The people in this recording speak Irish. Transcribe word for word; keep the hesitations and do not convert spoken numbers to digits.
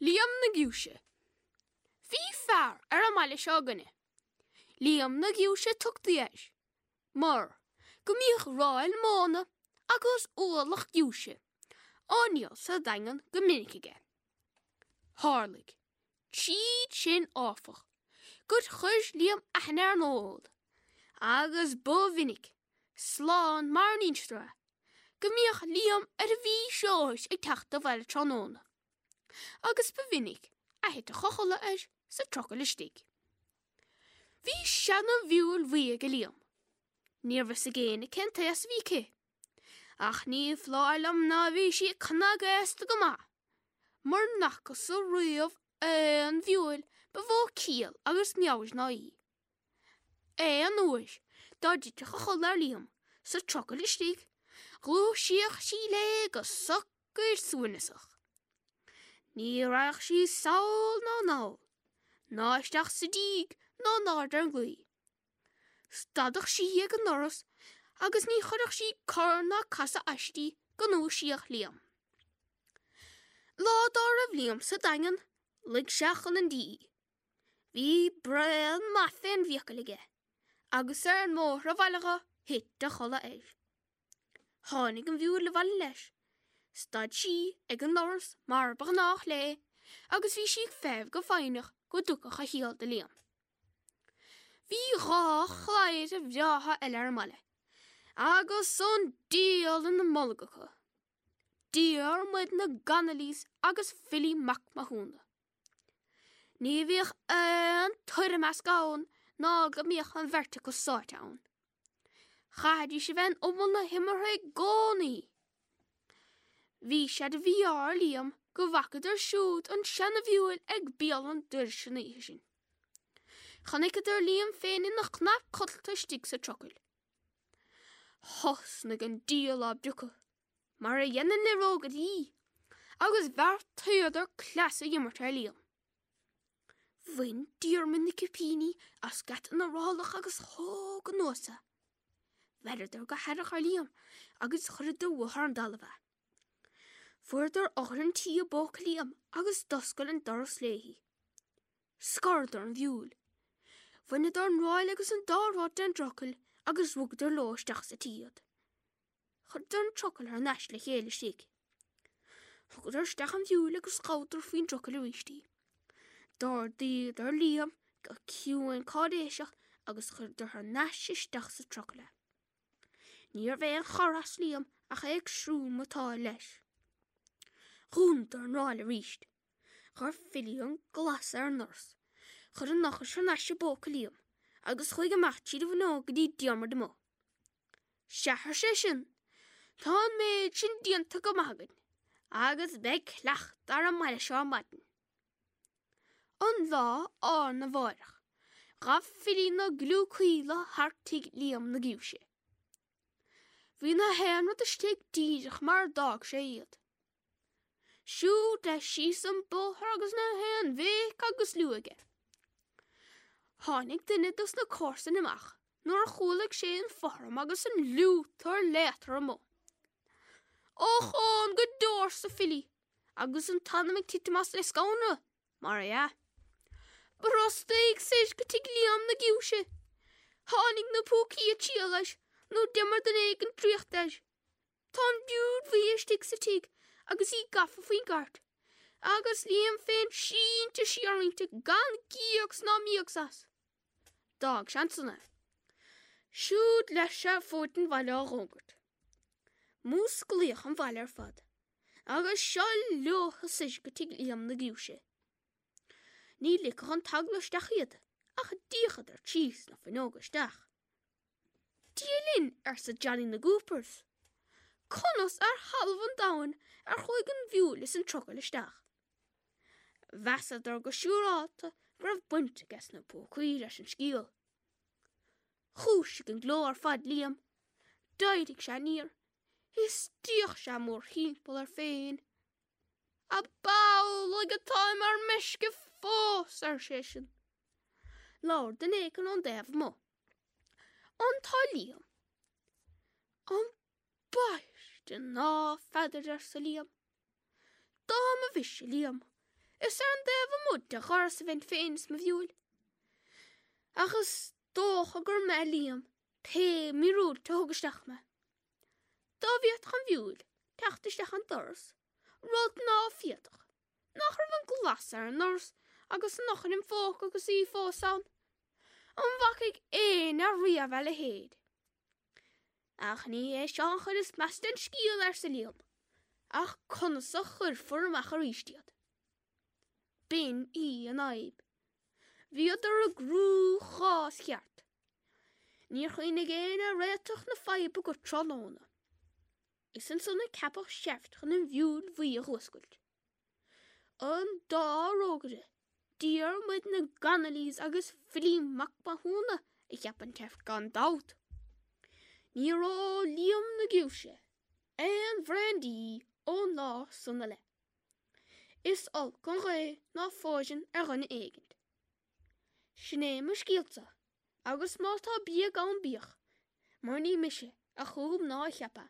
Liam na Giúise. Bhí fear ar an mbaile seo againne. Liam na Giúise tugtaí air, mar go mbíodh ráil móna agus ualach giúise á ndíol sa Daingean go minic aige. Tharlaigh, tríd sin áfach, gur chuir Liam aithne ar an ól, agus ba mhinic, slán mar a n-instear é, go mbíodh Liam ar a mhíchreois ag teacht abhaile tráthnóna. Agus ba mhinic a thiteadh a chodladh air sa trucail istigh. Bhí seana-mhiúil bhuí ag Liam. Níorbh fhios ag éinne cén t-aos a bhí aici. Ach ní foláir liom ná bhí sí cnagaosta go maith, mura bhfacthas riamh aon mhiúil ba mhó ciall agus meabhair ná í. Aon uair dá dtitfeadh a chodladh ar Liam sa trucail istigh, ghluaisíodh sí léi go socair suaimhneasach. Ní raghadh sí sall ná anall, ná isteach sa díg ná in airde ar an gclaí. Stadadh sí ag an ndoras agus ní chuirfeadh sí cor ná casadh aisti go ndúisíodh Liam. Lá dá raibh Liam sa Daingean, luigh sé chun an dí. Bhí braon maith fén bhfiacail aige, agus ar an mbóthar abhaile dho thit a chodladh air. Tháinig an mhiúil abhaile leis. Stad sí ag an ndoras mar ba ghnách léi agus bhí sí ag feitheamh go foighneach go dtugfadh a chiall do Liam. Bhí dhá chladhaire bhreátha eile ar an mbaile, agus an diabhal ina mbolg acu, Diarmuid na gConnolly's agus Philly Mac Mathúna. Ní bhíodh aon toirmeasc ann ná go mbíodh an bheirt acu sáite ann. Chaithfidís a bheith in umal na himeartha i gcónaí. Bhí sé de mhí-ádh ar Liam go bhfacadar siúd an seana-mhiúil ag béal an dorais an oíche sin. Chonaiceadar Liam féin ina chnap codlata istigh sa trucail. Thosnaigh an diabhal á bpiocadh, mar a dhéanann na rógairí, agus bheartaíodar cleas a imirt ar Liam. Bhain Diarmuid na cipíní as geata na rálach agus thóg anuas é. Bheireadar go haireach ar Liam agus chuireadar uathu ar an dtalamh é. Fuaireadar eochair an tí i bpóca Liam agus d'oscail an doras léi. Scoradar an mhiúil. Bhaineadar an ráil agus an dá rod den dtrucail agus rugadar leo isteach sa tí iad. Chuireadar an trucail thar n-ais le chéile istigh. Thugadar isteach an mhiúil agus ghabhadar faoin dtrucail arís í. D'ardaíodar Liam go ciúin cáiréiseach agus chuireadar thar n-ais isteach sa trucail é. Níorbh aon chor as Liam ach é ag srúmatáil leis. Dhúnadar an ráil arís. Chuir Philly an glas ar an ndoras. Chuir an eochair thar n-ais i bpóca Liam agus chuaigh amach tríd an bhfuinneog go dtí Diarmuid amuigh. Sea, ar seisean, tá an méid sin déanta go maith againn, agus beidh cleachtadh ar an mbaile seo ar maidin. An lá arna mháireach, ghabh Philly na Gliú Caola thar tigh Liam na Giúise. Bhí na haon rud istigh díreach mar a d'fhág sé iad. Siúd leis síos an bóthar agus na haon bhéic agus liú aige. Tháinig duine dos na comharsana amach nuair a chualaigh sé an fothram agus an liútar léatar amuigh. Ochón go deo, arsa Philly, agus an t-anam ag titim as le scanradh, mar dhea. Brostaigh soir go tigh Liam na Giúise. Tháinig na púcaí ag triall air nó d'imir duine éigin draíocht air. Tá an mhiúil bhuí istigh sa tigh agus í gafa faoin gcairt, agus Liam féin sínte siar inti gan gíocs ná míocs as. D'fhág sé ansan é. Siúd leis ar fuaid an bhaile á dh'fhógairt. Músclaíodh an baile ar fad, agus seo leothu soir go tigh Liam na Giúise. Ní ligfeadh an t-eagla isteach iad, ach d'fhéachadar trí sna fuinneoga isteach. Dia linn, arsa Johnny na gCoopers. Conas ar thalamh an domhain ar chuaigh an mhiúil is an trucail isteach? Mheasadar go siúrálta go raibh baint aige sna púcaí leis an scéal. Dhúisigh an gleo ar fad Liam. D'éirigh sé aniar. Is d'fhéach sé mórthimpeall air féin. Ab amhlaidh atáim ar meisce fós, ar seisean. Labhair duine éigin ón dtaobh amuigh. An tá Liam? Ambaiste ná feadar, arsa Liam. Dá mba mhise Liam, Is ar an dtaobh amuigh de dhoras a bheinn féin is mo mhiúil. Ach is dócha gur mé Liam pé míorúilt a thug isteach mé. Dá bhféadfadh an mhiúil teacht isteach an doras, rud ná féadfadh, nach raibh an glas ar an ndoras agus an eochair im phóca agus í fós ann. An bhfacaidh éinne riamh a leithéid? Ach ní hé seo an chuid is measa den scéal, arsa Liam, ach conas a chuirfear amach arís iad? B'in í an fhadhb. Bhíodar i gcruachás ceart. Níor chuimhnigh éinne ar réiteach na faidhbe go tráthnóna. Is ansan a ceapadh seift chun an mhiúil bhuí a dh'fhuascailt. An dá rógaire, Diarmuid na gConnolly's agus Filí Mac Mathúna a cheap an tseift gan dabht. Níor ól Liam na Giúise aon bhraindí ón lá san i leith. Is olc an ghaoth ná fóireann ar dhuine éigint. Sin é mo scéalsa, agus má tá bréag ann bíodh, mar ní mise a chum ná a cheap é.